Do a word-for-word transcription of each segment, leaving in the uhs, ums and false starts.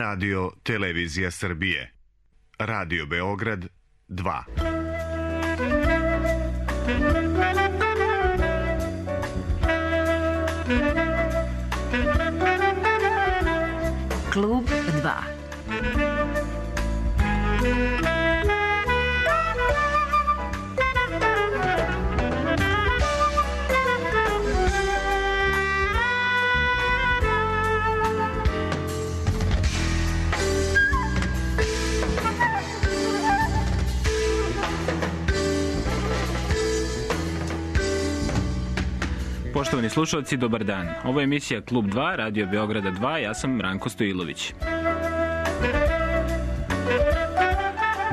Radio Televizija Srbije. Radio Beograd dva. Klub dva. Poštovani slušalci, dobar dan. Ovo je emisija Klub dva, Radio Beograda dva, ja sam Ranko Stojilović.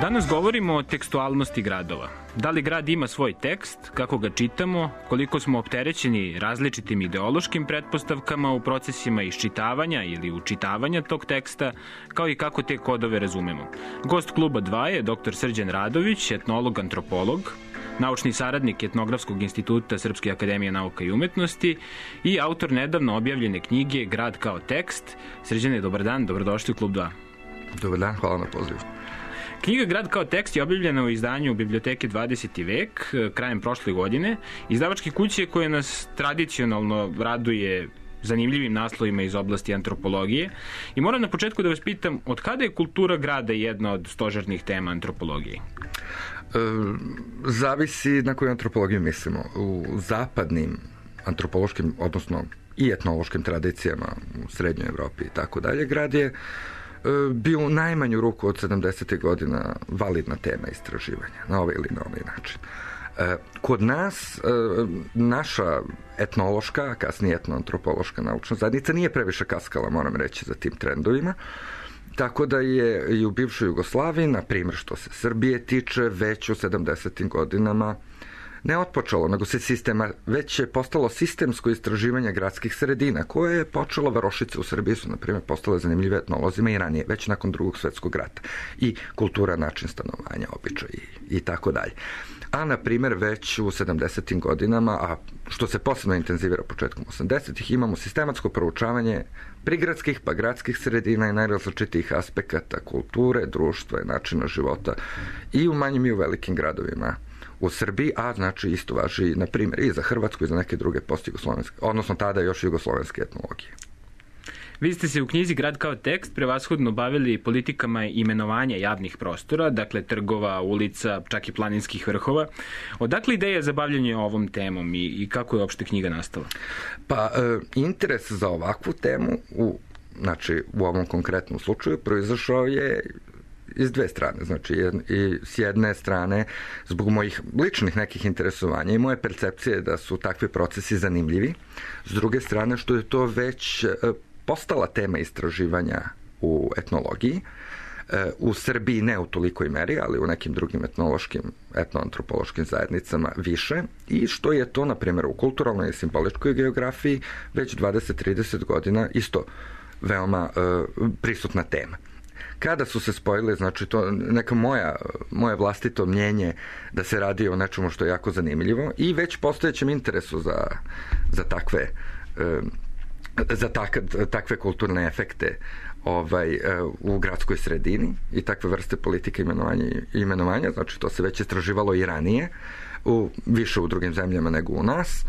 Danas govorimo o tekstualnosti gradova. Da li grad ima svoj tekst, kako ga čitamo, koliko smo opterećeni različitim ideološkim pretpostavkama u procesima iščitavanja ili učitavanja tog teksta, kao i kako te kodove razumemo. Gost Kluba dva je doktor Srđan Radović, etnolog-antropolog, naučni saradnik Etnografskog instituta Srpske akademije nauka i umetnosti i autor nedavno objavljene knjige Grad kao tekst. Srđane, dobar dan, dobrodošli u Klub dva. Dobar dan, hvala na pozivu. Knjiga Grad kao tekst je objavljena u izdanju Biblioteke dvadeseti vek krajem prošle godine. Izdavačke kuće koje nas tradicionalno raduje zanimljivim naslovima iz oblasti antropologije. I moram na početku da vas pitam, od kada je kultura grada jedna od stožernih tema antropologije? E, zavisi na koju antropologiju mislimo. U zapadnim antropološkim, odnosno i etnološkim tradicijama u Srednjoj Evropi i tako dalje, grad je bio u najmanju ruku od sedamdesetih godina validna tema istraživanja, na ovaj ili na ovaj način. Kod nas, naša etnološka, kasnije etnoantropološka naučna zajednica nije previše kaskala, moram reći, za tim trendovima, tako da je i u bivšoj Jugoslaviji, na primjer što se Srbije tiče, već u sedamdesetim godinama ne otpočelo, nego se sistema, već je postalo sistemsko istraživanje gradskih sredina, koje je počelo, varošice u Srbiji su, na primjer, postale zanimljive etnolozima i ranije, već nakon drugog svetskog rata. I kultura, način stanovanja, običaj i, i tako dalje. A, na primjer, već u sedamdesetim godinama, a što se posebno intenzivira početkom osamdesetih, imamo sistematsko proučavanje prigradskih pa gradskih sredina i najrazličitijih aspekata kulture, društva i načina života i u manjim i u velikim gradovima u Srbiji, a znači isto važi, na primjer, i za Hrvatsku i za neke druge post-jugoslovenske, odnosno tada još jugoslovenske etnologije. Vi ste se u knjizi Grad kao tekst prevashodno bavili politikama imenovanja javnih prostora, dakle trgova, ulica, čak i planinskih vrhova. Odakle ideja za bavljanje ovom temom i, i kako je uopšte knjiga nastala? Pa, e, interes za ovakvu temu, u, znači u ovom konkretnom slučaju, proizašao je iz dve strane, znači i s jedne strane zbog mojih ličnih nekih interesovanja i moje percepcije da su takvi procesi zanimljivi, s druge strane što je to već postala tema istraživanja u etnologiji, u Srbiji ne u tolikoj meri, ali u nekim drugim etnološkim, etnoantropološkim zajednicama više, i što je to, na primjer, u kulturalnoj i simboličkoj geografiji već dvadeset do trideset godina isto veoma uh, prisutna tema. Kada su se spojile, znači to neka moja, moje vlastito mnjenje da se radi o nečemu što je jako zanimljivo i već postojećem interesu za, za takve za tak, takve kulturne efekte ovaj, u gradskoj sredini i takve vrste politike imenovanja, imenovanja, znači to se već istraživalo i ranije, u, više u drugim zemljama nego u nas.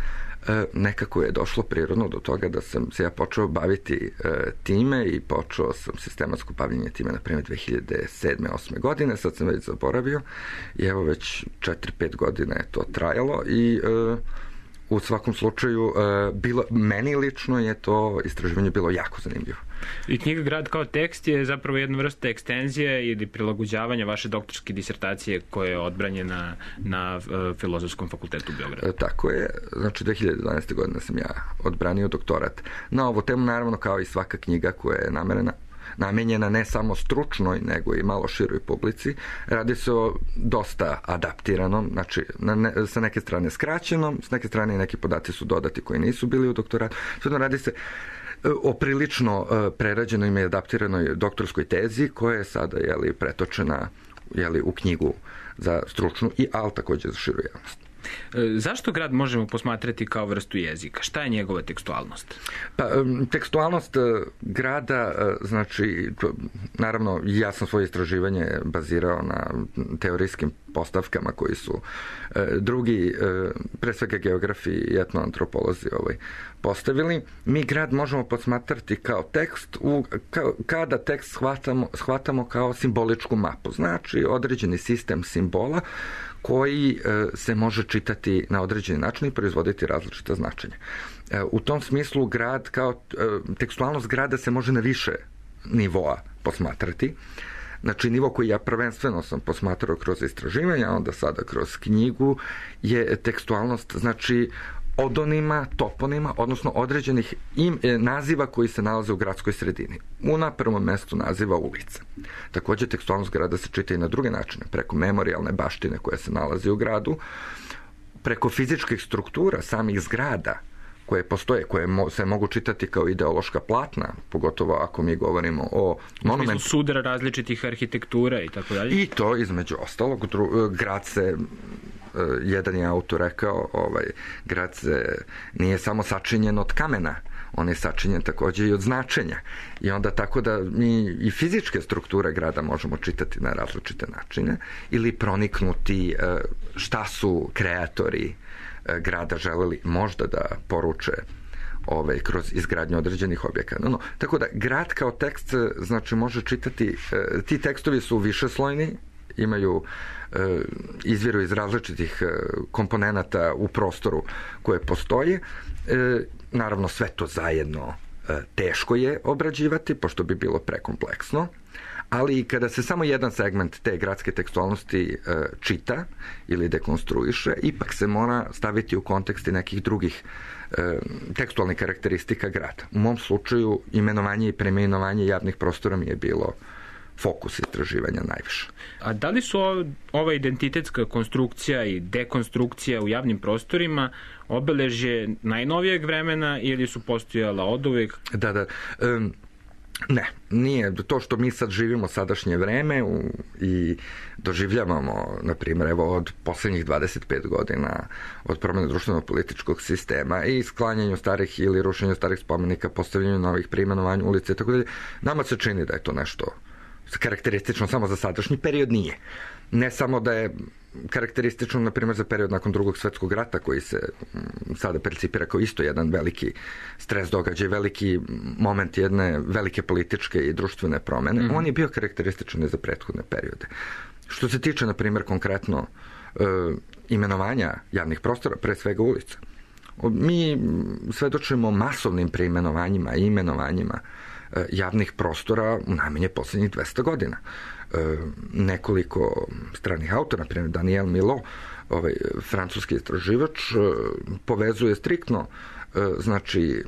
Nekako je došlo prirodno do toga da sam se ja počeo baviti e, time i počeo sam sistematsko bavljenje time, na primjer, dve hiljade sedme osme godine, sad sam već zaboravio i evo već četiri pet godina je to trajalo i e, u svakom slučaju e, bilo, meni lično je to istraživanje bilo jako zanimljivo. I knjiga Grad kao tekst je zapravo jedna vrsta ekstenzije ili prilagođavanja vaše doktorske disertacije koja je odbranjena na uh, Filozofskom fakultetu u Beogradu. E, tako je, znači dve hiljade dvanaeste. godine sam ja odbranio doktorat na ovu temu, naravno kao i svaka knjiga koja je namerena namenjena ne samo stručnoj, nego i malo široj publici. Radi se o dosta adaptiranom, znači na ne, sa neke strane skraćenom, s neke strane i neki podaci su dodati koji nisu bili u doktoratu. Svejedno radi se o prilično prerađenoj i adaptiranoj doktorskoj tezi koja je sada, jeli, pretočena, jeli, u knjigu za stručnu i, ali takođe za širu javnost. Zašto grad možemo posmatrati kao vrstu jezika? Šta je njegova tekstualnost? Pa, tekstualnost grada, znači, naravno, ja sam svoje istraživanje bazirao na teorijskim postavkama koji su drugi, pre svega geografi i etnoantropolozi ovaj, postavili. Mi grad možemo posmatrati kao tekst, u, kao, kada tekst shvatamo, shvatamo kao simboličku mapu. Znači, određeni sistem simbola koji se može čitati na određeni način i proizvoditi različita značenja. U tom smislu grad kao tekstualnost grada se može na više nivoa posmatrati. Znači, nivo koji ja prvenstveno sam posmatrao kroz istraživanja, a onda sada kroz knjigu, je tekstualnost, znači, odonima, toponima, odnosno određenih im, naziva koji se nalaze u gradskoj sredini. U na prvom mestu naziva ulica. Takođe, tekstualnost grada se čita i na druge načine, preko memorijalne baštine koja se nalazi u gradu, preko fizičkih struktura samih zgrada koje postoje, koje se mogu čitati kao ideološka platna, pogotovo ako mi govorimo o monumentu. U smislu sudara različitih arhitektura i tako dalje. I to, između ostalog, grad se, jedan je autor rekao, ovaj, grad se nije samo sačinjen od kamena, on je sačinjen takođe i od značenja. I onda tako da mi i fizičke strukture grada možemo čitati na različite načine ili proniknuti šta su kreatori grada želeli možda da poruče ovaj, kroz izgradnju određenih objekata. No, no, tako da grad kao tekst znači može čitati, ti tekstovi su višeslojni, imaju izviru iz različitih komponenata u prostoru koje postoje. Naravno, sve to zajedno teško je obrađivati, pošto bi bilo prekompleksno, ali i kada se samo jedan segment te gradske tekstualnosti e, čita ili dekonstruiše, ipak se mora staviti u konteksti nekih drugih e, tekstualnih karakteristika grada. U mom slučaju imenovanje i preimenovanje javnih prostora mi je bilo fokus istraživanja najviše. A da li su ova identitetska konstrukcija i dekonstrukcija u javnim prostorima obeležje najnovijeg vremena ili su postojala oduvek? Da, da. Um, Ne, nije. To što mi sad živimo sadašnje vreme u, i doživljavamo, na primjer, evo od poslednjih dvadeset pet godina od promene društveno-političkog sistema i sklanjanju starih ili rušenju starih spomenika, postavljanju novih, preimenovanju ulice i tako dalje, nama se čini da je to nešto karakteristično samo za sadašnji period, nije. Ne samo da je karakteristično, na primjer, za period nakon drugog svetskog rata, koji se sada percipira kao isto jedan veliki stres događaj, veliki moment jedne velike političke i društvene promene, mm-hmm. on je bio karakterističan i za prethodne periode. Što se tiče, na primjer, konkretno e, imenovanja javnih prostora, pre svega ulica, mi svedočimo masovnim preimenovanjima i imenovanjima e, javnih prostora u najmanje poslednjih dvesta godina. E, nekoliko stranih autora, na primjer Daniel Milo, ovaj francuski istraživač, e, povezuje striktno e, znači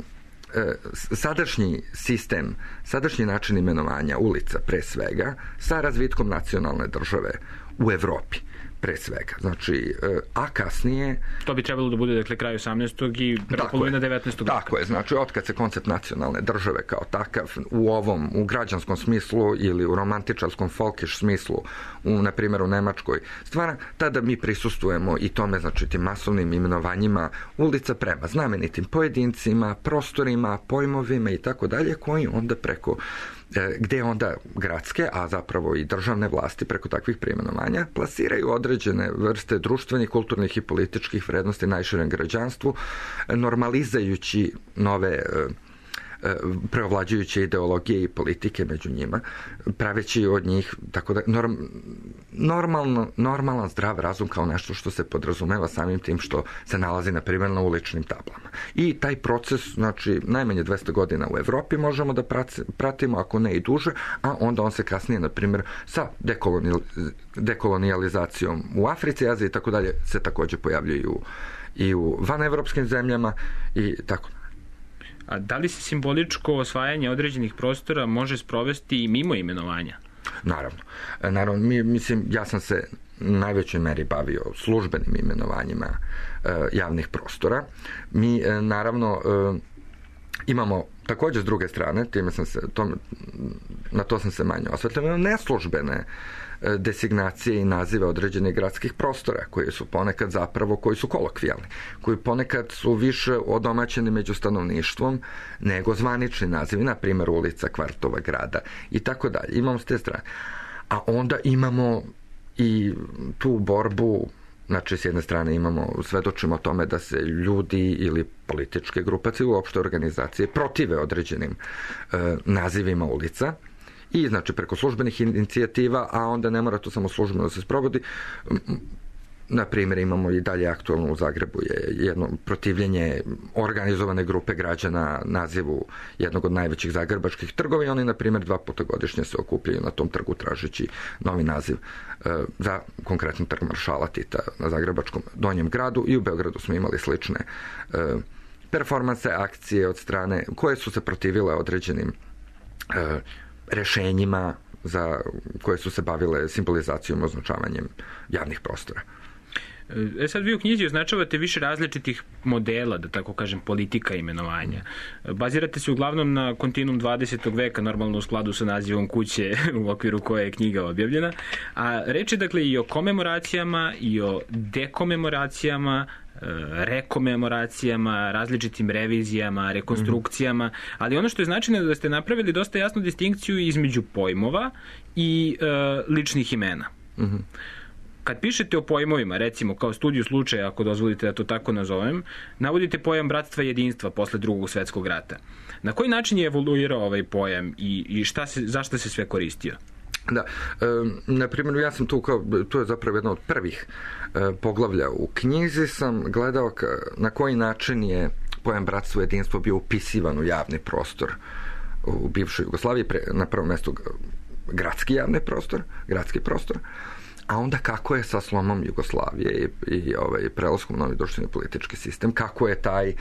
e, sadašnji sistem, sadašnji način imenovanja ulica pre svega sa razvitkom nacionalne države u Evropi pre svega. Znači, a kasnije... To bi trebalo da bude, dakle, kraj osamnaestog i prva polovina devetnaestog veka. Tako je, znači, otkad se koncept nacionalne države kao takav u ovom, u građanskom smislu ili u romantičarskom folkiš smislu, u, na primjer, u Nemačkoj stvara, tada mi prisustujemo i tome, znači, tim masovnim imenovanjima ulica prema znamenitim pojedincima, prostorima, pojmovima i tako dalje, koji onda preko gde onda gradske, a zapravo i državne vlasti preko takvih preimenovanja plasiraju određene vrste društvenih, kulturnih i političkih vrednosti najširem građanstvu, normalizajući nove preovlađujuće ideologije i politike među njima, praveći od njih tako da, norm, normalno, normalan zdrav razum kao nešto što se podrazumeva samim tim što se nalazi, na primjer, na uličnim tablama. I taj proces, znači, najmanje dvesta godina u Evropi možemo da pratimo, ako ne i duže, a onda on se kasnije, na primjer, sa dekolonijal, dekolonijalizacijom u Africi, Aziji i tako dalje, se takođe pojavljaju i u vanevropskim zemljama i tako dalje. A da li se simboličko osvajanje određenih prostora može sprovesti i mimo imenovanja? Naravno. Naravno, mi, mislim, ja sam se u najvećoj meri bavio službenim imenovanjima e, javnih prostora. Mi, e, naravno, e, imamo takođe s druge strane, time sam se, to, na to sam se manje osvetljeno, neslužbene designacije i nazive određenih gradskih prostora, koji su ponekad zapravo, koji su kolokvijalni, koji ponekad su više odomaćeni među stanovništvom nego zvanični nazivi, na primjer ulica, kvartova, grada i tako dalje. Imamo s te strane. A onda imamo i tu borbu, znači s jedne strane imamo, svedočimo o tome da se ljudi ili političke grupacije, uopšte organizacije protive određenim e, nazivima ulica, i znači preko službenih inicijativa, a onda ne mora to samo službeno da se sprovodi. Na primjer, imamo i dalje aktualno u Zagrebu je jedno protivljenje organizovane grupe građana nazivu jednog od najvećih zagrebačkih trgova i oni, na primjer, dva puta godišnje se okupljaju na tom trgu tražeći novi naziv e, za konkretno trg Maršala Tita na zagrebačkom Donjem gradu, i u Beogradu smo imali slične e, performanse, akcije od strane koje su se protivile određenim e, rešenjima za koje su se bavile simbolizacijom, označavanjem javnih prostora. E sad vi u knjizi označavate više različitih modela, da tako kažem, politika imenovanja. Bazirate se uglavnom na kontinuum dvadesetog veka, normalno u skladu sa nazivom kuće u okviru koje je knjiga objavljena, a reč je dakle i o komemoracijama i o dekomemoracijama, rekomemoracijama, različitim revizijama, rekonstrukcijama, ali ono što je značajno je da ste napravili dosta jasnu distinkciju između pojmova i e, ličnih imena. Mhm. Kad pišete o pojmovima, recimo kao studiju slučaja, ako dozvolite da to tako nazovem, navodite pojam bratstva i jedinstva posle drugog svetskog rata. Na koji način je evoluirao ovaj pojam i, i šta se, zašto se sve koristio? Da, e, na primjer, ja sam tu kao, to je zapravo jedno od prvih e, poglavlja u knjizi, sam gledao ka, na koji način je pojam bratstvo i jedinstvo bio upisivan u javni prostor u bivšoj Jugoslaviji, pre, na prvom mjestu gradski javni prostor, gradski prostor, a onda kako je sa slomom Jugoslavije i, i ovaj, prelaskom novi društveni politički sistem, kako je taj e,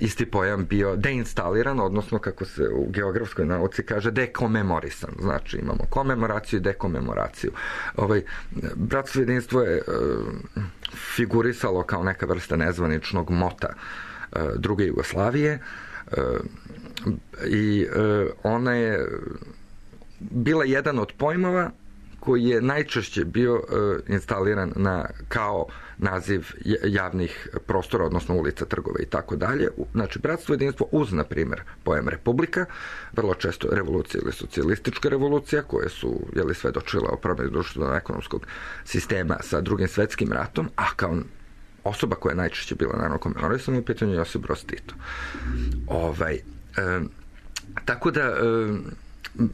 isti pojam bio deinstaliran, odnosno kako se u geografskoj nauci kaže dekomemorisan. Znači imamo komemoraciju i dekomemoraciju. Ovaj, bratstvo i jedinstvo je e, figurisalo kao neka vrsta nezvaničnog mota e, druge Jugoslavije e, i e, ona je bila jedan od pojmova koji je najčešće bio uh, instaliran na, kao naziv javnih prostora, odnosno ulica, trgova i tako dalje. Znači, bratstvo i jedinstvo uz, na primjer, pojam republika, vrlo često revolucija ili socijalistička revolucija, koje su, jeli, svedočile o promjeni društveno-ekonomskog sistema sa drugim svetskim ratom, a kao osoba koja je najčešće bila, naravno, komemorisana u pitanju Josip Broz Tito. Ovaj, um, tako da, um,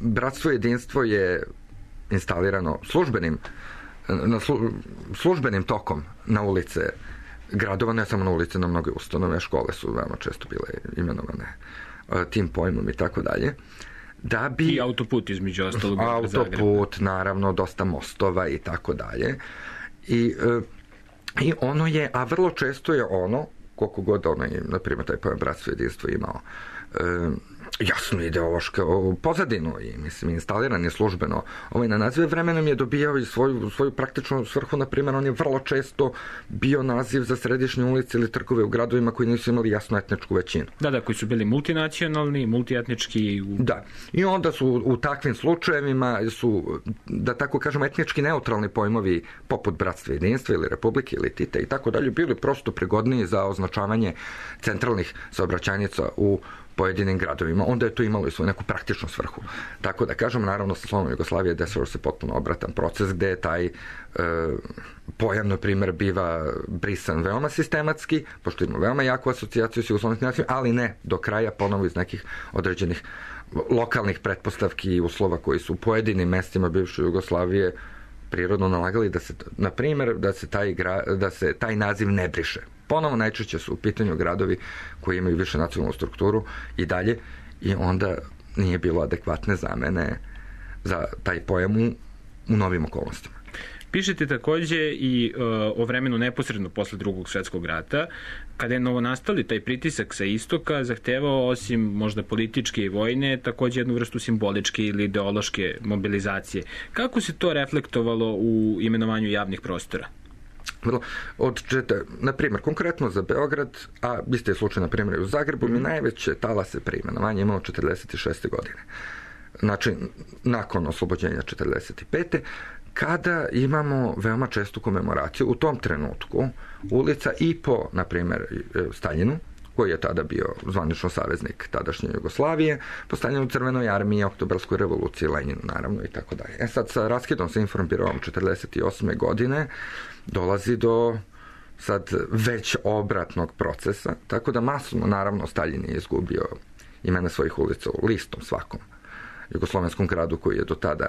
bratstvo i jedinstvo je instalirano službenim, na slu, službenim tokom na ulice gradova, ne samo na ulice, na mnoge ustanove, škole su veoma često bile imenovane tim pojmom i tako dalje. Da bi, i autoput između ostalog. Autoput, naravno, dosta mostova i tako dalje. I, i ono je, a vrlo često je ono, koliko god ono je, na primjer, taj pojam bratstvo i jedinstvo imao jasnu ideološku pozadinu i, mislim, instaliran je službeno ovaj na nazive, vremenom je dobijao i svoju, svoju praktičnu svrhu. Na primjer, on je vrlo često bio naziv za središnje ulice ili trgove u gradovima koji nisu imali jasnu etničku većinu. Da, da, koji su bili multinacionalni, multietnički. U... Da, i onda su u takvim slučajevima su, da tako kažemo, etnički neutralni pojmovi poput bratstva i jedinstva ili republike ili Tita i tako dalje bili prosto prigodniji za označavanje centralnih saobraćajnica u pojedinim gradovima. Onda je to imalo i svoju neku praktičnu svrhu. Tako da kažem, naravno, sa slomom Jugoslavije desilo se potpuno obratan proces gde je taj e, pojam, na primjer, biva brisan veoma sistematski, pošto ima veoma jaku asocijaciju s jugoslovenskim nacijom, ali ne do kraja, ponovo iz nekih određenih lokalnih pretpostavki i uslova koji su u pojedinim mestima bivše Jugoslavije prirodno nalagali da se, na primjer, da se taj, da se taj naziv ne briše. Ponovo najčešće su u pitanju gradovi koji imaju više nacionalnu strukturu i dalje, i onda nije bilo adekvatne zamene za taj pojam u, u novim okolnostima. Pišete takođe i uh, o vremenu neposredno posle drugog svetskog rata, kada je novonastali taj pritisak sa istoka zahtevao, osim možda političke i vojne, takođe jednu vrstu simboličke ili ideološke mobilizacije. Kako se to reflektovalo u imenovanju javnih prostora? Od četa, na primjer, konkretno za Beograd, a isti je slučaj, na primjer, u Zagrebu, mi najveće talase preimenovanja imamo četrdeset šeste godine. Znači, nakon oslobođenja četrdeset pete kada imamo veoma čestu komemoraciju. U tom trenutku ulica i po, na primjer, Staljinu, koji je tada bio zvanično saveznik tadašnje Jugoslavije, po Staljinu, Crvenoj armiji, Oktobarskoj revoluciji, Leninu, naravno, i tako dalje. E sad, sa raskidom sa Informbirovom četrdeset osme godine dolazi do sad već obratnog procesa, tako da masovno, naravno, Staljin je izgubio imena svojih ulica u listom svakom jugoslovenskom gradu koji je do tada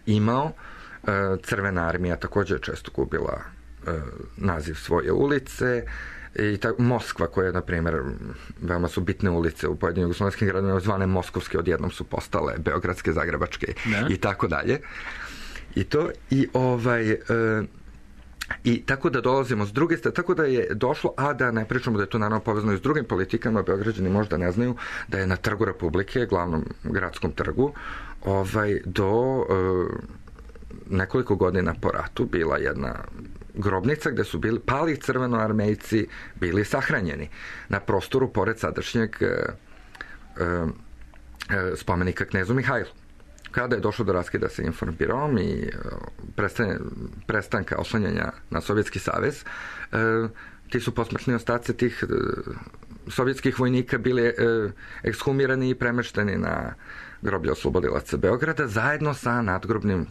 imao. Crvena armija također je često gubila naziv svoje ulice, i ta, Moskva, koja je, na primjer, veoma su bitne ulice u pojedinim jugoslovenskim gradovima, zvane moskovske, odjednom su postale beogradske, zagrebačke, ne? I tako dalje. I to, i ovaj... E, I tako da dolazimo s druge strane, tako da je došlo, a da ne pričamo da je to naravno povezano i s drugim politikama, Beograđani možda ne znaju da je na Trgu Republike, glavnom gradskom trgu, ovaj, do e, nekoliko godina po ratu bila jedna grobnica gde su bili pali crvenoarmejci bili sahranjeni na prostoru pored sadašnjeg e, e, spomenika knezu Mihajlu. Kada je došlo do raskida sa Informbirom i prestanka oslanjanja na Sovjetski savez, ti su posmrtni ostaci tih sovjetskih vojnika bili ekshumirani i premešteni na groblje oslobodilaca Beograda zajedno sa nadgrobnim,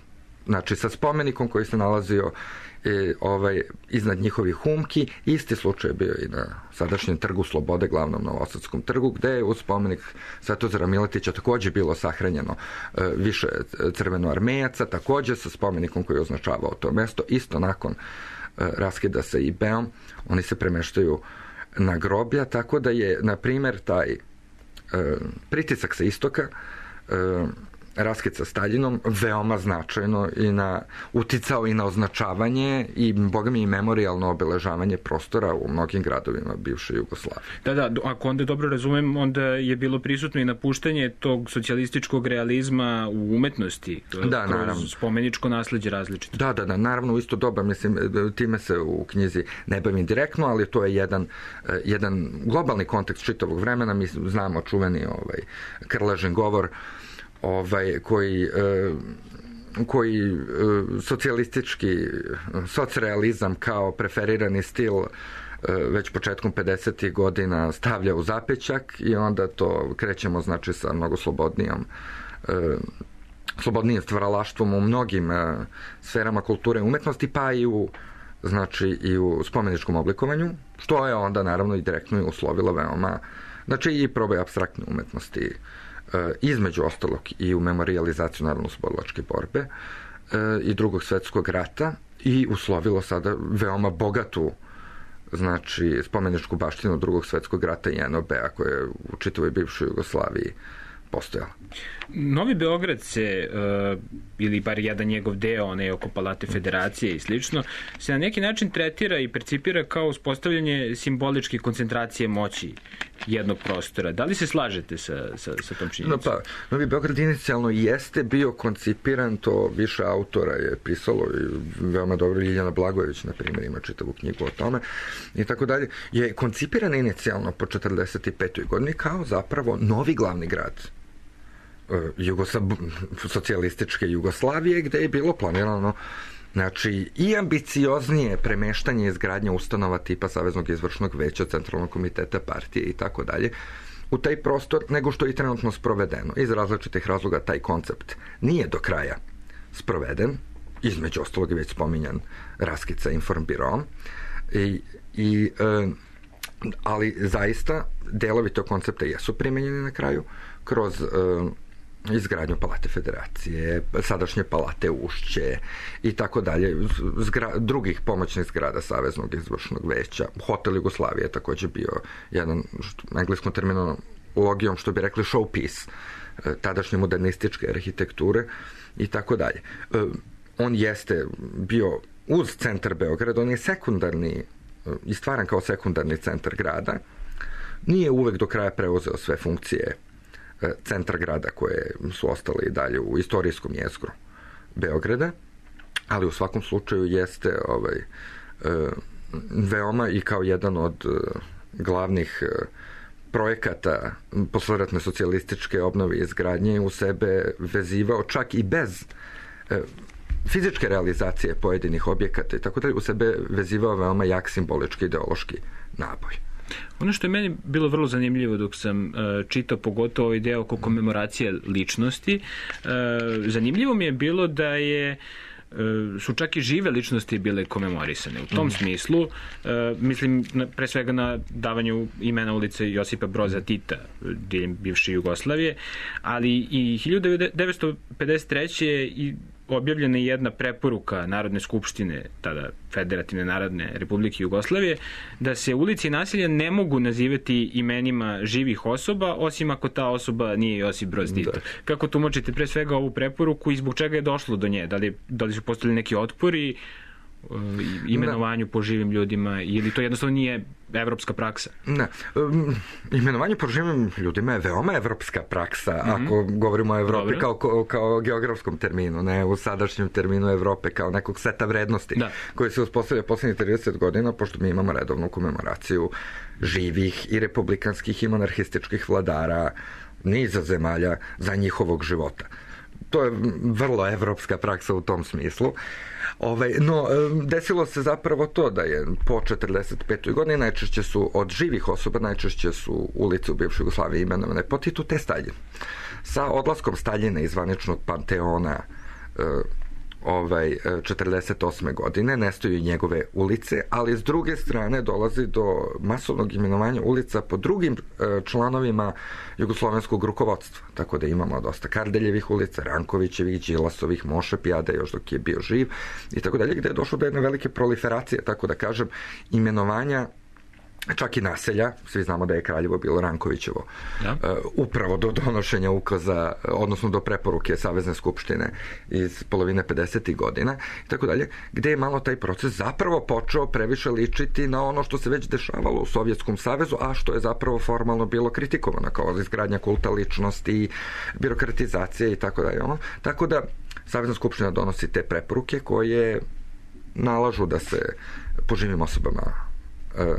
znači sa spomenikom koji se nalazio i, ovaj, iznad njihovih humki. Isti slučaj bio i na sadašnjem Trgu Slobode, glavnom Novosadskom trgu, gde je uz spomenik Svetozara Miletića također bilo sahranjeno e, više crvenoarmejaca, također sa spomenikom koji je označavao to mesto. Isto nakon e, raskida sa I B-om, oni se premeštaju na groblja, tako da je, na primjer, taj e, pritisak sa istoka, e, raskid sa Staljinom veoma značajno i na, uticao i na označavanje i, boga mi, i memorijalno obeležavanje prostora u mnogim gradovima bivše Jugoslavije. Da, da, ako onda dobro razumem, onda je bilo prisutno i napuštanje tog socijalističkog realizma u umetnosti, da, kroz naravno. Spomeničko nasleđe različito. Da, da, da, naravno u isto doba, mislim, time se u knjizi ne bavim direktno, ali to je jedan, jedan globalni kontekst čitavog vremena. Mi znamo čuveni ovaj, Krležin govor, ovaj, koji, e, koji e, socijalistički socrealizam kao preferirani stil e, već početkom pedesetih godina stavlja u zapećak i onda to krećemo, znači, sa mnogo slobodnijom e, slobodnijim stvaralaštvom u mnogim e, sferama kulture i umetnosti, pa i u, znači, i u spomeničkom oblikovanju, što je onda naravno i direktno i uslovilo veoma, znači, i probaj apstraktne umetnosti, između ostalog i u memorijalizaciju narodno-oslobodilačke borbe i drugog svetskog rata, i uslovilo sada veoma bogatu, znači, spomeničku baštinu drugog svetskog rata i N O B-a koja je u čitavoj bivšoj Jugoslaviji postojala. Novi Beograd se, uh, ili bar jedan njegov deo, onaj oko Palate Federacije i slično, se na neki način tretira i percipira kao uspostavljanje simboličke koncentracije moći jednog prostora. Da li se slažete sa, sa, sa tom činjenicom? No pa, Novi Beograd inicijalno jeste bio koncipiran, to više autora je pisalo, i veoma dobro, Ljiljana Blagojević, na primjer, ima čitavu knjigu o tome, i tako dalje, je koncipiran inicijalno po četrdeset petoj godini kao zapravo novi glavni grad Jugosla... socijalističke Jugoslavije, gde je bilo planirano, znači, i ambicioznije premeštanje i izgradnja ustanova tipa Saveznog izvršnog veća, Centralnog komiteta partije i tako dalje u taj prostor, nego što je i trenutno sprovedeno. Iz različitih razloga taj koncept nije do kraja sproveden, između ostalog je već spominjan raskid sa Informbirom, i, i, e, ali zaista delovi tog koncepta jesu primenjeni na kraju kroz e, izgradnju Palate Federacije, sadašnje Palate Ušće i tako dalje, zgra, drugih pomoćnih zgrada Saveznog izvršnog veća. Hotel Jugoslavije je također bio jedan, engleskom terminologijom, što bi rekli, showpiece tadašnje modernističke arhitekture i tako dalje. On jeste bio uz centar Beograda, on je sekundarni, i stvaran kao sekundarni centar grada. Nije uvek do kraja preuzeo sve funkcije centra grada koje su ostale i dalje u istorijskom jezgru Beograda, ali u svakom slučaju jeste ovaj, veoma i kao jedan od glavnih projekata posleratne socijalističke obnove i izgradnje u sebe vezivao čak i bez fizičke realizacije pojedinih objekata i tako dalje, u sebe vezivao veoma jak simbolički ideološki naboj. Ono što je meni bilo vrlo zanimljivo dok sam uh, čitao pogotovo ovaj deo oko komemoracije ličnosti, uh, zanimljivo mi je bilo da je su čak i žive ličnosti bile komemorisane. U tom mm. smislu, uh, mislim na, pre svega na davanju imena ulice Josipa Broza Tita diljem bivše Jugoslavije, ali i hiljadu devetsto pedeset treće i objavljena je jedna preporuka Narodne skupštine, tada Federativne narodne Republike Jugoslavije, da se ulici i naselja ne mogu nazivati imenima živih osoba, osim ako ta osoba nije Josip Broz Tito. Da. Kako tumačite pre svega ovu preporuku i zbog čega je došlo do nje? Da li, da li su postavili neki otpori imenovanju da. po živim ljudima ili to jednostavno nije evropska praksa? Ne. Um, imenovanje po živim ljudima je veoma evropska praksa, mm-hmm. ako govorimo o Evropi kao, kao, kao geografskom terminu, ne u sadašnjem terminu Evrope kao nekog seta vrednosti da. koji se uspostavlja poslednjih trideset godina, pošto mi imamo redovnu komemoraciju živih i republikanskih i monarhističkih vladara niza zemalja za njihovog života. To je vrlo evropska praksa u tom smislu. Ove, no, desilo se zapravo to da je po četrdeset petoj godini najčešće su od živih osoba, najčešće su ulice u bivšoj Jugoslaviji imenovane po Titu te Staljin. Sa odlaskom Staljina iz zvaničnog panteona ovaj, četrdeset osme godine nestaju njegove ulice, ali s druge strane dolazi do masovnog imenovanja ulica po drugim članovima jugoslovenskog rukovodstva. Tako da imamo dosta Kardeljevih ulica, Rankovićevih, Đilasovih, Moše Pijade još dok je bio živ i tako dalje, gde je došlo do jedne velike proliferacije, tako da kažem, imenovanja čak i naselja, svi znamo da je Kraljevo bilo Rankovićevo, ja. uh, upravo do donošenja ukaza, odnosno do preporuke Savezne skupštine iz polovine pedesetih godina i tako dalje, gde je malo taj proces zapravo počeo previše ličiti na ono što se već dešavalo u Sovjetskom savezu, a što je zapravo formalno bilo kritikovano kao izgradnja kulta ličnosti, birokratizacija i tako dalje. Ono. Tako da Savezna skupština donosi te preporuke koje nalažu da se po živim osobama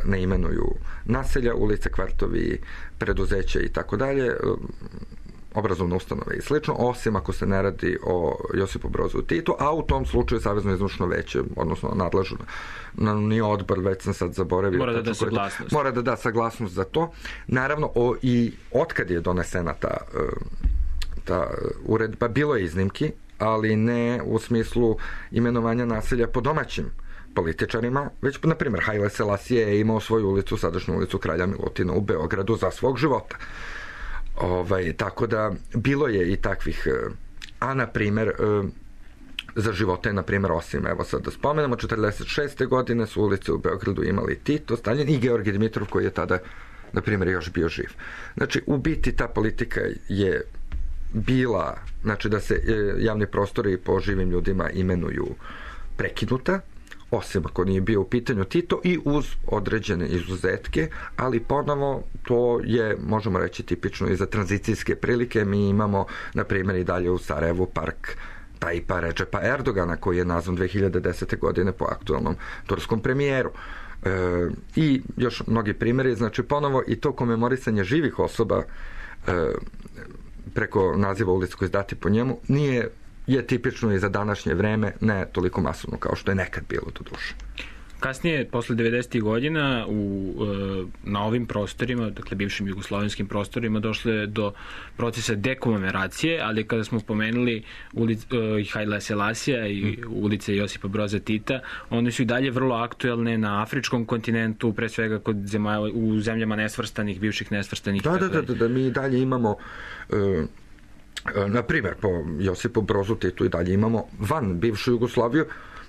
ne imenuju naselja, ulice, kvartovi, preduzeća i tako dalje, obrazovne ustanove i slično, osim ako se ne radi o Josipu Brozu Titu, a u tom slučaju Savezno izvršno veće, odnosno nadležno na nije odbor, već sam sad zaboravio. Mora da da saglasnost. Mora da da saglasnost za to. Naravno, o, i otkad je donesena ta, ta uredba, bilo je iznimki, ali ne u smislu imenovanja naselja po domaćim političarima, već, na primjer, Haile Selasije je imao svoju ulicu, sadašnju ulicu Kralja Milutina u Beogradu za svog života. Ovaj, tako da, bilo je i takvih, a, na primjer, za živote, na primjer, osim, evo sad da spomenemo, četrdeset šeste godine su ulice u Beogradu imali Tito, Staljin i Georgij Dimitrov, koji je tada, na primjer, još bio živ. Znači, u biti ta politika je bila, znači da se javni prostori po živim ljudima imenuju prekinuta, osim ako nije bio u pitanju Tito i uz određene izuzetke, ali ponovo to je, možemo reći, tipično i za tranzicijske prilike. Mi imamo, na primjer, i dalje u Sarajevu park Tajipa Redžepa Erdogana, koji je nazvan dve hiljade desete godine po aktualnom turskom premijeru. E, I još mnogi primjeri, znači ponovo i to komemorisanje živih osoba e, preko naziva ulica koji izdati po njemu nije je tipično i za današnje vreme, ne toliko masovno kao što je nekad bilo do duše. Kasnije, posle devedesetih godina, u, na ovim prostorima, dakle bivšim jugoslovenskim prostorima, došlo je do procesa dekomemoracije, ali kada smo pomenuli ulic, Haile Selasija i ulice Josipa Broza Tita, one su i dalje vrlo aktuelne na afričkom kontinentu, pre svega kod zemalja, u zemljama nesvrstanih, bivših nesvrstanih. Da, da, da, da, da, mi dalje imamo... Uh... Na primjer, po Josipu Brozu Titu i dalje imamo van bivšu Jugoslaviju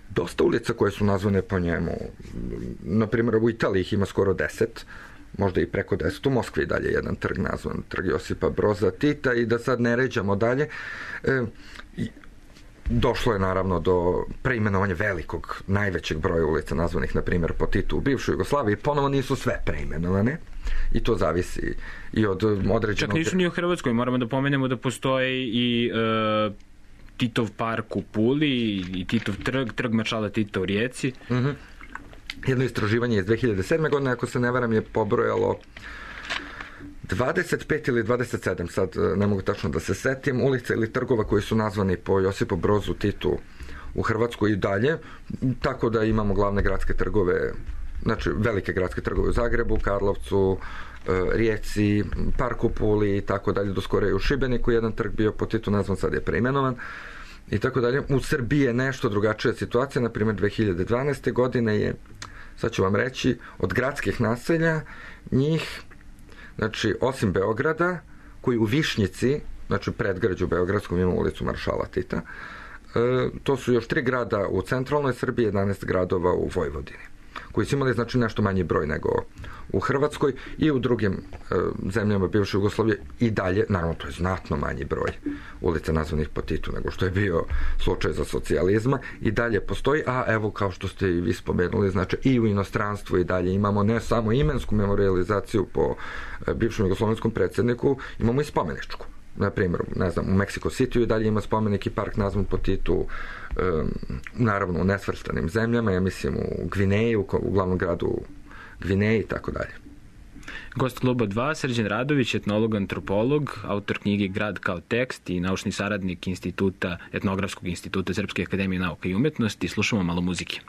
dosta ulica koje su nazvane po njemu. Na primjer, u Italiji ih ima skoro deset, možda i preko deset. U Moskvi dalje jedan trg nazvan trg Josipa Broza Tita i da sad ne ređamo dalje. E, došlo je naravno do preimenovanja velikog, najvećeg broja ulica nazvanih, na primjer, po Titu u bivšoj Jugoslaviji. Ponovo nisu sve preimenovane. I to zavisi i od određenog... Čak nisu ni u Hrvatskoj, moramo da pomenemo da postoji i uh, Titov park u Puli i Titov trg, trg maršala Tita u Rijeci. Mm-hmm. jedno istraživanje iz dve hiljade sedme. godine, ako se ne varam, je pobrojalo dvadeset pet ili dvadeset sedam, sad ne mogu tačno da se setim, ulica ili trgova koji su nazvani po Josipu Brozu Titu u Hrvatskoj i dalje, tako da imamo glavne gradske trgove, znači velike gradske trgove u Zagrebu, Karlovcu, Rijeci, Parku Puli i tako dalje, do skoro je u Šibeniku jedan trg bio po Titu nazvan, sad je preimenovan i tako dalje. U Srbiji je nešto drugačija situacija, na primjer dve hiljade dvanaeste. godine je, sad ću vam reći, od gradskih naselja njih, znači osim Beograda, koji u Višnjici, znači predgrađu Beogradskom, ima ulicu Maršala Tita, to su još tri grada u centralnoj Srbiji, jedanaest gradova u Vojvodini, koji su imali znači nešto manji broj nego u Hrvatskoj i u drugim e, zemljama bivše Jugoslavije i dalje, naravno to je znatno manji broj ulica nazvanih po Titu nego što je bio slučaj za socijalizma, i dalje postoji, a evo kao što ste i vi spomenuli, znači i u inostranstvu i dalje imamo ne samo imensku memorijalizaciju po e, bivšem jugoslovenskom predsjedniku, imamo i spomeničku. Na primjer, ne znam, u Mexico City i dalje ima spomenik i park nazvan po Titu, um, naravno u nesvrstanim zemljama, ja mislim u Gvineji, u, u glavnom gradu Gvineji i tako dalje. Gost Kluba dva, Srđan Radović, etnolog, antropolog, autor knjige Grad kao tekst i naučni saradnik instituta, Etnografskog instituta Srpske akademije nauka i umetnosti. Slušamo malo muzike.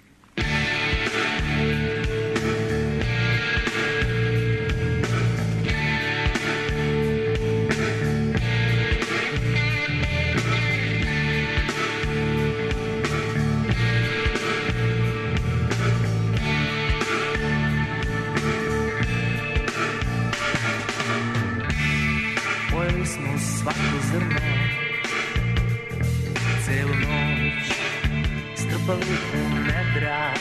Svako zrno, celu noć strpali u nedra.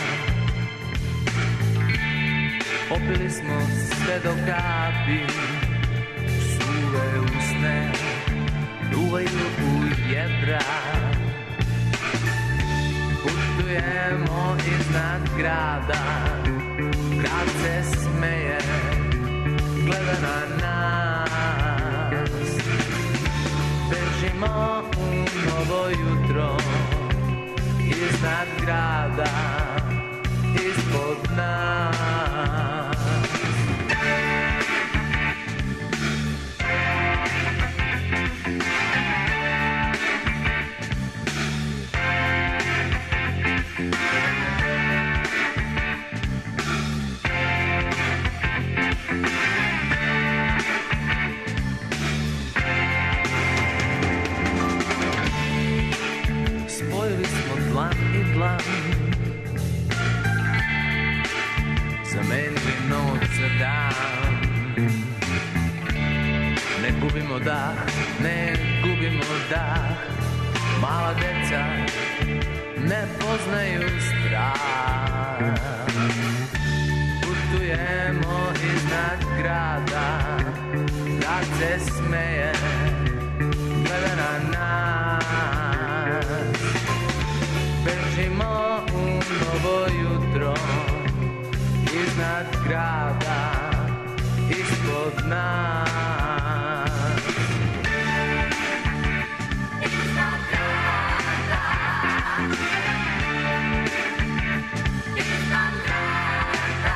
Popili smo sve do kapi, suve usne duvaju u jedra. Putujemo iznad grada, grad se smeje, gleda na nas. Bežimo u novo jutro, iznad grada, ispod nas. Dlan i dlan, zamenili noć za dan. Ne gubimo dah, ne gubimo dah. Mala deca ne poznaju strah. Putujemo iznad grada, grad se smeje, gleda na nas. Bežimo u novo jutro, iznad grada, ispod nas. Iznad grada, iznad grada, iznad grada.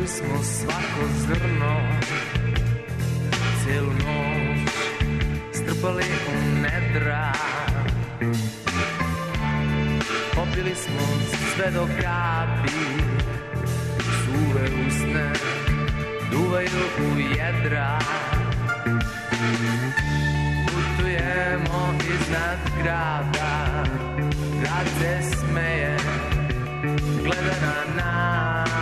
Smo svako zrno, celu noć strpali u nedra. Popili smo sve do kapi, suve usne duvaju u jedra. Putujemo iznad grada, grad se smeje, gleda na nas.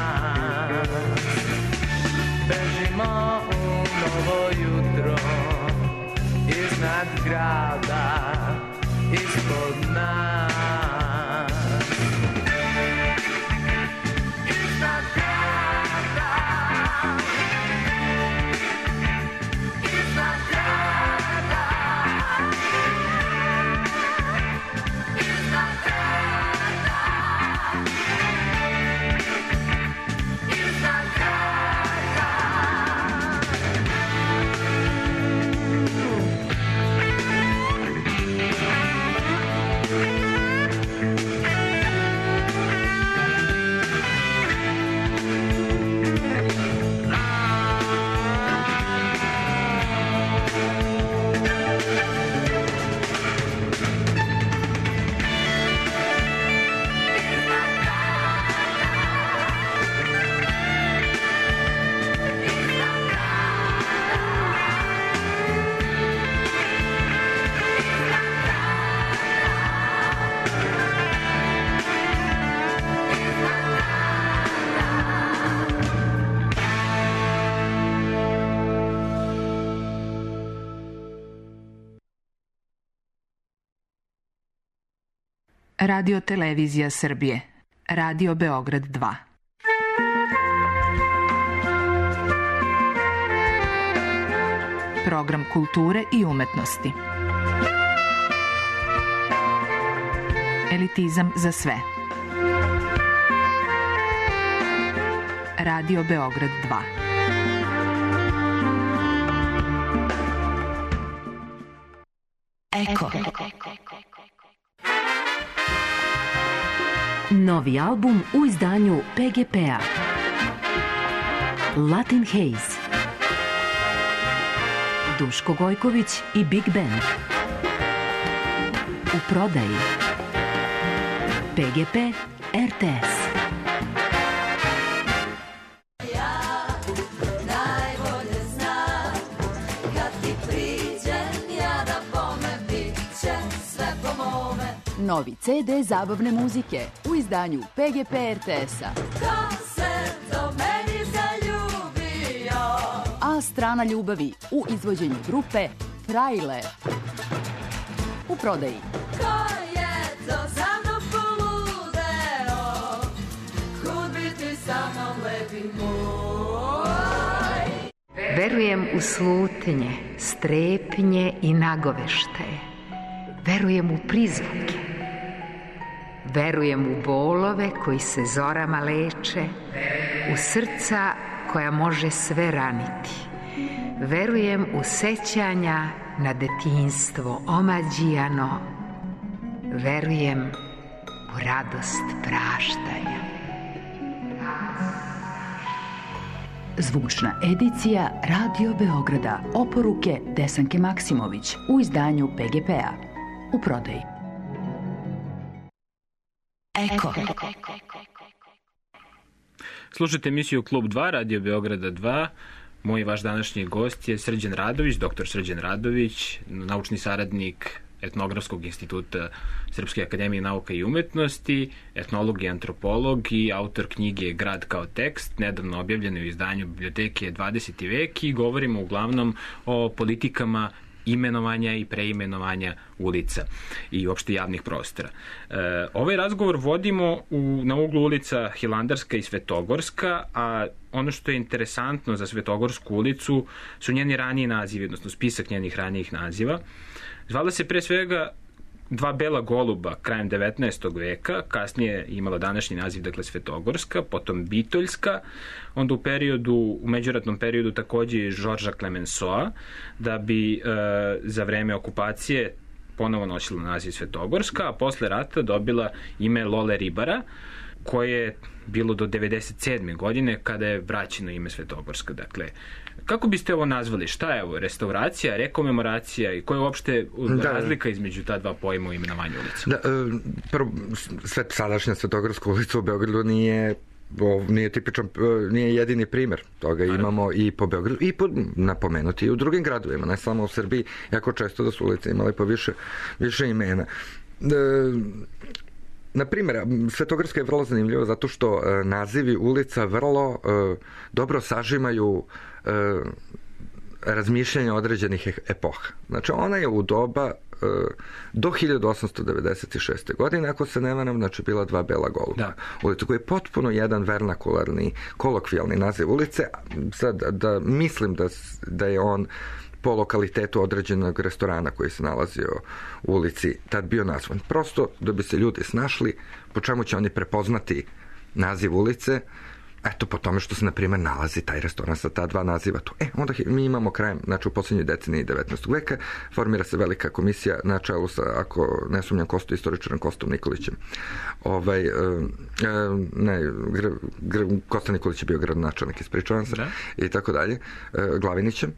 ispod nas. Iznad grada, iznad grada, iznad grada, iznad grada. Radio televizija Srbije. Radio Beograd dva. Program kulture i umetnosti. Elitizam za sve. Radio Beograd dva. Eko. Novi album u izdanju P G P-a. Latin Haze. Duško Gojković i Big Band. U prodaji. P G P R T S. Novi C D zabavne muzike u izdanju P G P R T S-a. Ko se do meni zaljubio? A strana ljubavi u izvođenju grupe Frajle. U prodaji. Ko je to za mnom poludeo? Kud bi ti sa mnom lepi moj? Verujem u slutnje, strepnje i nagoveštaje. Verujem u prizvuke. Verujem u bolove koji se zorama leče, u srca koja može sve raniti. Verujem u sećanja na detinjstvo omađijano. Verujem u radost praštanja. Zvučna edicija Radio Beograda. Oporuke Desanke Maksimović u izdanju P G P-a. U prodaji. Eko. Slušajte emisiju Klub dva, Radio Beograda dva. Moj vaš današnji gost je Srđan Radović, doktor Srđan Radović, naučni saradnik Etnografskog instituta Srpske akademije nauka i umetnosti, etnolog i antropolog i autor knjige Grad kao tekst, nedavno objavljeno u izdanju Biblioteke dvadeseti vek, i govorimo uglavnom o politikama imenovanja i preimenovanja ulica i uopšte javnih prostora. E, ovaj razgovor vodimo u, na uglu ulica Hilandarska i Svetogorska, a ono što je interesantno za Svetogorsku ulicu su njeni raniji nazivi, odnosno spisak njenih ranijih naziva. Zvala se pre svega Dva bela goluba krajem devetnaestog veka, kasnije imala današnji naziv, dakle Svetogorska, potom Bitoljska, onda u periodu, u međuratnom periodu takođe Žorža Klemensoa, da bi e, za vreme okupacije ponovo nosila naziv Svetogorska, a posle rata dobila ime Lole Ribara, koje je bilo do devedeset sedme godine kada je vraćeno ime Svetogorska. Dakle, kako biste ovo nazvali? Šta je ovo? Restauracija, rekomemoracija i koja je uopšte da, razlika između ta dva pojma u imenovanju ulica? Da, prvo, sve, sadašnja Svetogorska ulica u Beogradu nije nije tipičan, nije jedini primer toga. Naravno. Imamo i po Beogradu i po, napomenuti i u drugim gradovima, ne samo u Srbiji, jako često da su ulice imali po više, više imena. Da, na primjer, Svetogorska je vrlo zanimljiva zato što e, nazivi ulica vrlo e, dobro sažimaju e, razmišljanja određenih epoha. Znači, ona je u doba do hiljadu osamsto devedeset šeste. godine, ako se ne varam, znači bila dva bela goluba. Da. Ulica koji je potpuno jedan vernakularni, kolokvijalni naziv ulice. Sad, da mislim da, da je on po lokalitetu određenog restorana koji se nalazio u ulici tad bio nazvan. Prosto da bi se ljudi snašli po čemu će oni prepoznati naziv ulice, eto po tome što se na primjer nalazi taj restoran sa ta dva naziva tu. E, onda mi imamo krajem, znači u posljednjoj deceniji devetnaestog veka, formira se velika komisija na čelu sa, ako ne sumnjam, Kosto, istoričarom Kostom Nikolićem. Ovaj, e, ne, gr, gr, Kosta Nikolić je bio gradonačelnik, ispričavam se, da. I tako dalje, e, Glavinićem.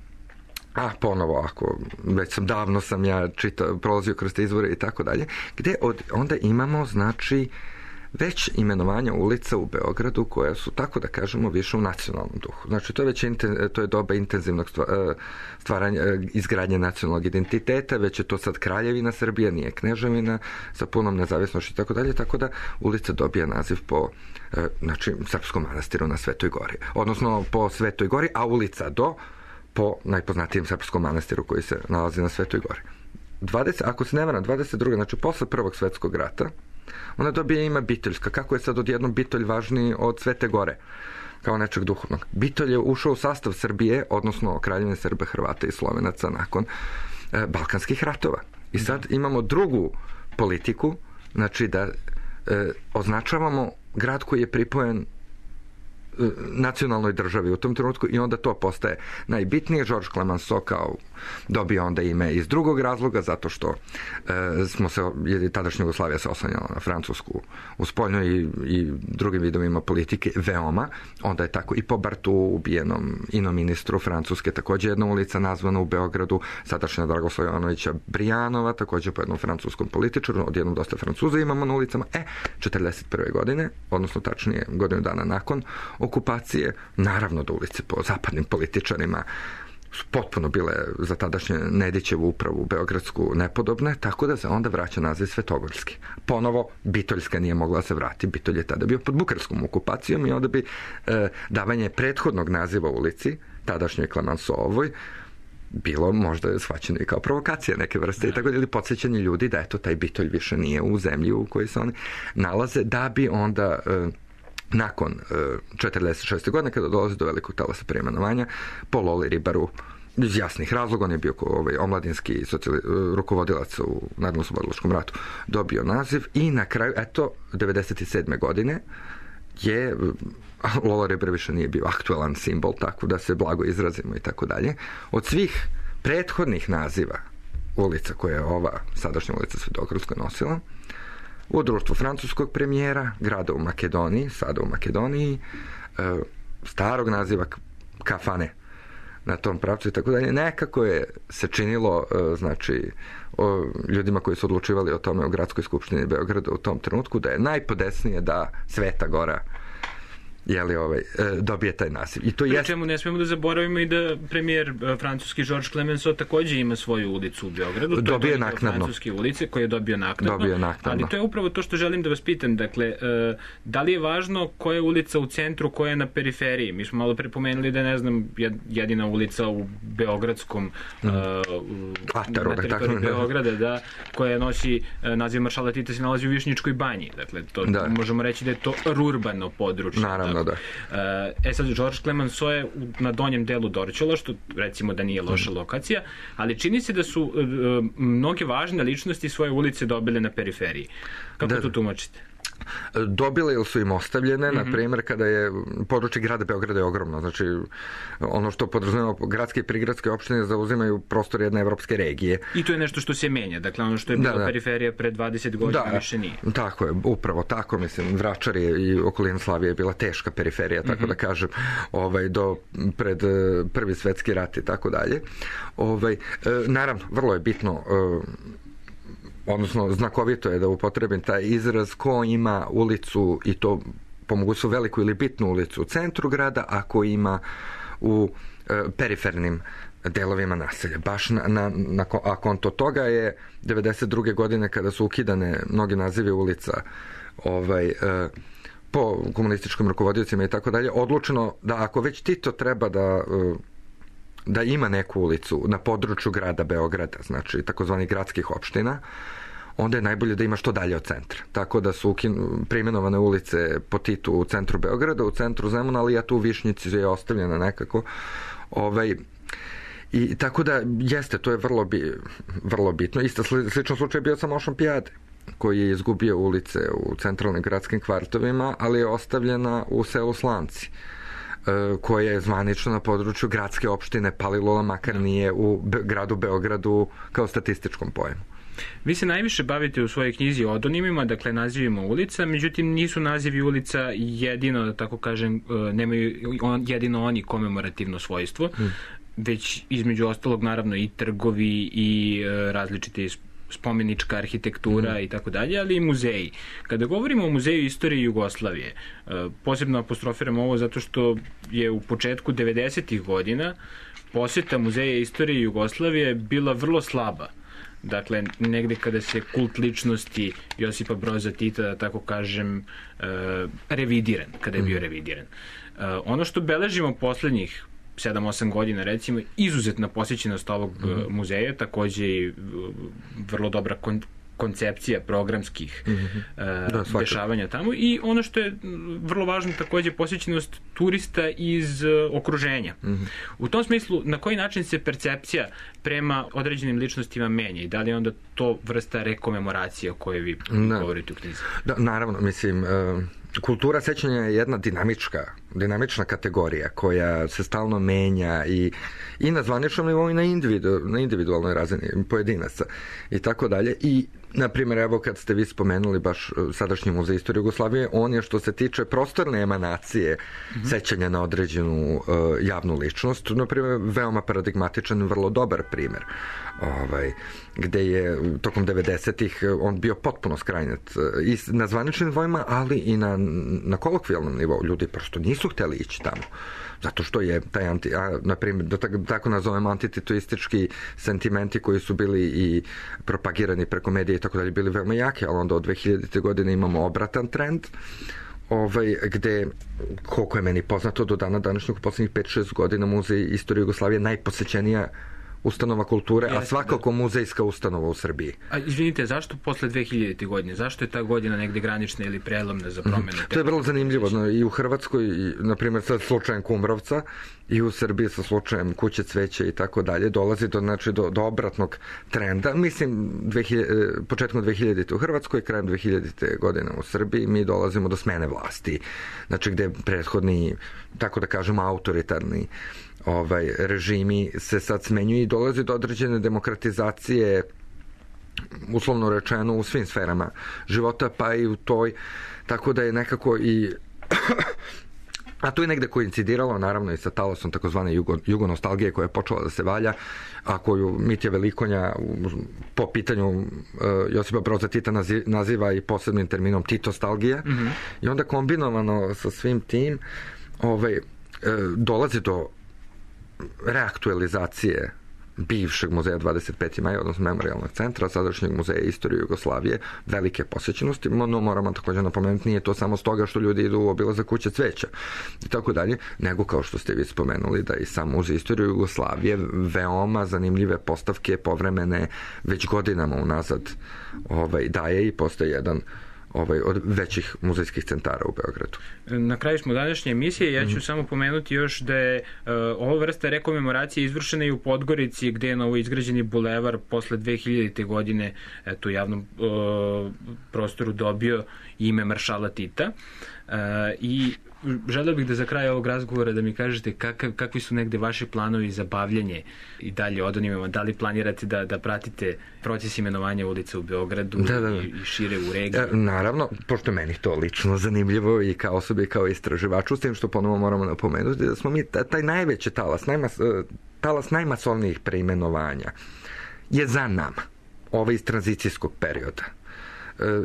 A ponovo, ako već sam davno sam ja čitao, prolazio kroz te izvore i tako dalje, gde od, onda imamo, znači, već imenovanja ulica u Beogradu koja su, tako da kažemo, više u nacionalnom duhu. Znači, to je već inten, to je doba intenzivnog stvaranja, izgradnje nacionalnog identiteta, već je to sad Kraljevina Srbija, nije Kneževina, sa punom nezavisnošću i tako dalje, tako da ulica dobija naziv po, znači, Srpskom manastiru na Svetoj Gori. Odnosno, po Svetoj Gori, a ulica do po najpoznatijem srpskom manastiru koji se nalazi na Svetoj Gori. dvadeset, ako se ne varam, dvadeset druge. znači posle Prvog svetskog rata, ona dobije ime Bitoljska. Kako je sad odjednom Bitolj važniji od Svete Gore kao nečeg duhovnog? Bitolj je ušao u sastav Srbije, odnosno Kraljevine Srba, Hrvata i Slovenaca nakon e, Balkanskih ratova. I sad imamo drugu politiku, znači da e, označavamo grad koji je pripojen nacionalnoj državi u tom trenutku i onda to postaje najbitnije. Georges Clemenceau kao dobio onda ime iz drugog razloga, zato što e, smo se, jer tadašnja Jugoslavija se oslanjala na Francusku u spoljnoj i, i drugim vidovima politike veoma. Onda je tako i po Bartu, ubijenom inom ministru Francuske, takođe jedna ulica nazvana u Beogradu, sadašnja Dragoslava Jovanovića Brijanova, takođe po jednom francuskom političaru, odjednom dosta Francuza imamo na ulicama. E, četrdeset prve. godine, odnosno tačnije godinu dana nakon okupacije, naravno da ulice po zapadnim političarima su potpuno bile za tadašnje Nedićevu upravu beogradsku nepodobne, tako da se onda vraća naziv Svetogorski. Ponovo, Bitoljska nije mogla se vrati, Bitolj je tada bio pod bukarskom okupacijom i onda bi e, davanje prethodnog naziva ulici, tadašnjoj Clemenceauovoj, bilo možda shvaćeno i kao provokacija neke vrste, i tako ili podsjećanje ljudi da eto taj Bitolj više nije u zemlji u kojoj se oni nalaze, da bi onda e, nakon četrdeset šeste. godine, kada dolazi do velikog talasa preimenovanja, po Loli Ribaru, iz jasnih razloga, on je bio ovaj, omladinski socijali, rukovodilac u Narodno-oslobodilačkom ratu, dobio naziv i na kraju, eto, devedeset sedme. godine je Lola Ribar više nije bio aktualan simbol, tako da se blago izrazimo i tako dalje. Od svih prethodnih naziva ulica koje je ova sadašnja ulica Svetogorska nosila, u društvu francuskog premijera, grada u Makedoniji, sada u Makedoniji, starog naziva kafane na tom pravcu i tako dalje, nekako je se činilo, znači, o ljudima koji su odlučivali o tome u Gradskoj skupštini Beograda u tom trenutku, da je najpodesnije da Sveta Gora jeli, ovaj, dobije taj naziv. I to Pri jest... čemu ne smijemo da zaboravimo i da premijer francuski Georges Clemenceau takođe ima svoju ulicu u Beogradu. To dobije je naknadno. Francuske ulice koje je dobio naknadno. Dobio naknadno. Ali to je upravo to što želim da vas pitam. Dakle, da li je važno koja je ulica u centru, koja je na periferiji? Mi smo malo prepomenuli da je, ne znam, jedina ulica u Beogradskom mm. uh, Ataru, na teritoriji tako, Beograda, da, koja nosi naziv Maršala Tita, se nalazi u Višnjičkoj banji. Dakle, to da. možemo reći da je to rurbano područje. Naravno, da. E sad, Georges Clemenceau je na donjem delu Dorćola, što recimo da nije loša lokacija, ali čini se da su uh, mnoge važne ličnosti svoje ulice dobile na periferiji. Kako da. to tumačite? Dobile ili su im ostavljene, mm-hmm. na primjer kada je područje grada Beograda je ogromno, znači ono što podrazumeva gradske i prigradske opštine zauzimaju prostor jedne evropske regije. I to je nešto što se menja, dakle ono što je bila da, da. periferija pre dvadeset godina da, više nije. Tako je, upravo tako, mislim, Vračar je i okolina Slavije je bila teška periferija, tako mm-hmm. da kažem, ovaj, do pred Prvi svetski rat i tako dalje. Ovaj, naravno, vrlo je bitno, odnosno znakovito je da upotrebim taj izraz ko ima ulicu i to po mogućstvu veliku ili bitnu ulicu u centru grada, a ko ima u e, perifernim delovima naselja. Baš na, na, na, a konto toga je devedeset druge. godine kada su ukidane mnogi nazivi ulica ovaj, e, po komunističkim rukovodiocima i tako dalje, odlučeno da ako već Tito treba da e, da ima neku ulicu na području grada Beograda, znači takozvanih gradskih opština, onda je najbolje da ima što dalje od centra. Tako da su preimenovane ulice po Titu u centru Beograda, u centru Zemuna, ali ja tu u Višnjici je ostavljena nekako. Ovaj, I tako da jeste, to je vrlo, bi, vrlo bitno. Isto slično slučaj bio sa Mošampijade, koji je izgubio ulice u centralnim gradskim kvartovima, ali je ostavljena u selu Slanci, koja je zvanično na području gradske opštine Palilula, makar nije u gradu Beogradu kao statističkom pojmu. Vi se najviše bavite u svojoj knjizi odonimima, dakle nazivima ulica, međutim nisu nazivi ulica jedino, da tako kažem, nemaju jedino oni komemorativno svojstvo, hmm. već između ostalog naravno i trgovi i različite spomenička arhitektura mm. i tako dalje, ali i muzeji. Kada govorimo o Muzeju istorije Jugoslavije, posebno apostrofiram ovo zato što je u početku devedesetih godina posjeta Muzeja istorije Jugoslavije bila vrlo slaba. Dakle, negde kada se kult ličnosti Josipa Broza Tita, da tako kažem, revidiran, kada je bio revidiran. Ono što beležimo poslednjih sedam osam godina, recimo, izuzetna posjećenost ovog mm-hmm. muzeja, takođe i vrlo dobra kon- koncepcija programskih mm-hmm. uh, da, dešavanja tamo i ono što je vrlo važno takođe posjećenost turista iz uh, okruženja. Mm-hmm. U tom smislu, na koji način se percepcija prema određenim ličnostima menja i da li je onda to vrsta rekomemoracije o kojoj vi da. govorite u knjizi? Da, naravno, mislim... Uh... Kultura sećanja je jedna dinamička, dinamična kategorija koja se stalno menja i, i na zvaničnom nivou i na, individu, na individualnoj razini pojedinaca i tako dalje. I, na primjer, evo kad ste vi spomenuli baš sadašnji Muzej istorije Jugoslavije, on je što se tiče prostorne emanacije mm-hmm. sećanja na određenu uh, javnu ličnost, na primjer, veoma paradigmatičan, vrlo dobar primjer. Ovaj, gde je tokom devedesetih on bio potpuno skrajnat i na zvaničnim nivoima, ali i na, na kolokvijalnom nivou. Ljudi prosto nisu hteli ići tamo. Zato što je taj anti, a, na primjer, da tako, tako nazovemo antititoistički sentimenti koji su bili i propagirani preko medija i tako dalje bili veoma jaki, ali onda od dve hiljadite godine imamo obratan trend, ovaj, gde, koliko je meni poznato, do dana današnjeg u poslednjih pet šest godina Muzej istorije Jugoslavije najposećenija ustanova kulture, Jeste, a svakako da. muzejska ustanova u Srbiji. A izvinite, zašto posle dve hiljadite godine? Zašto je ta godina negde granična ili prelomna za promene? Mm. To je vrlo zanimljivo. No, i u Hrvatskoj, i, na primjer, sa slučajem Kumrovca, i u Srbiji sa slučajem Kuće cveća i tako dalje, dolazi do, znači, do, do obratnog trenda. Mislim, dve hiljade, početkom dve hiljadite u Hrvatskoj, krajem dve hiljadite godine u Srbiji, mi dolazimo do smene vlasti. Znači, gde prethodni, tako da kažemo, autoritarni ovaj režimi se sad smenjuju i dolazi do određene demokratizacije, uslovno rečeno, u svim sferama života, pa i u toj, tako da je nekako i a to je negde koincidiralo naravno i sa talasom takozvane jugo, jugonostalgije koja je počela da se valja, a koju Mitja Velikonja po pitanju uh, Josipa Broza Tita naziva, naziva i posebnim terminom titostalgija. Mm-hmm. I onda kombinovano sa svim tim ovaj, uh, dolazi do reaktualizacije bivšeg muzeja dvadeset peti maj, odnosno memorijalnog centra, sadašnjeg Muzeja istorije Jugoslavije, velike posjećenosti, no moramo također napomenuti, nije to samo stoga što ljudi idu u obilazak Kuće cveća i tako dalje, nego kao što ste vi spomenuli da i sam Muzej istorije Jugoslavije veoma zanimljive postavke povremene već godinama unazad ovaj, daje i postoji jedan ovaj, od većih muzejskih centara u Beogradu. Na kraju smo današnje emisije, ja ću mm. samo pomenuti još da je uh, ova vrsta rekomemoracije izvršena i u Podgorici, gde je novo izgrađeni bulevar posle dve hiljadite godine eto, u javnom uh, prostoru dobio ime maršala Tita. Uh, I želeo bih da za kraj ovog razgovora da mi kažete kakav, kakvi su negde vaši planovi za bavljanje i dalje odonimima, da li planirate da, da pratite proces imenovanja ulica u Beogradu da, da, da. I, i šire u regiji? E, naravno, pošto meni to lično zanimljivo i kao osobi i kao istraživaču, s tim što ponovo moramo napomenuti da smo mi taj najveći talas, najmas, talas najmasovnijih preimenovanja je za nama, ovaj iz tranzicijskog perioda.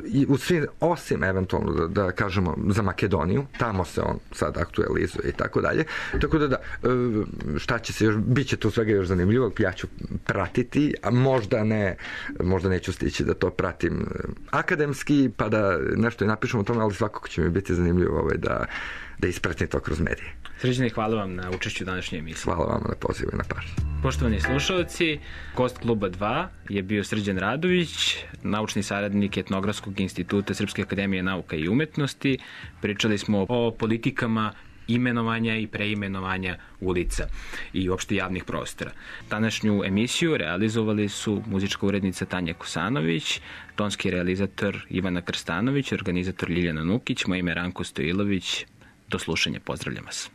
I u svim, osim eventualno da, da kažemo za Makedoniju, tamo se on sad aktualizuje i tako dalje, tako da da, šta će se još, bit će tu svega još zanimljivo, ja ću pratiti, a možda ne, možda neću stići da to pratim akademski, pa da nešto i napišem o tome, ali svakako će mi biti zanimljivo ovaj, da da ispratim to kroz medije. Srđane, hvala vam na učešću u današnjoj emisiji. Hvala vam na pozivu i na pažnji. Poštovani slušalci, gost Kluba dva je bio Srđan Radović, naučni saradnik Etnografskog instituta Srpske akademije nauka i umetnosti. Pričali smo o politikama imenovanja i preimenovanja ulica i uopšte javnih prostora. Današnju emisiju realizovali su muzička urednica Tanja Kosanović, tonski realizator Ivana Krstanović, organizator Ljiljana Nukić, moje ime Ranko Stojilović. Do slušanja, pozdravljam vas.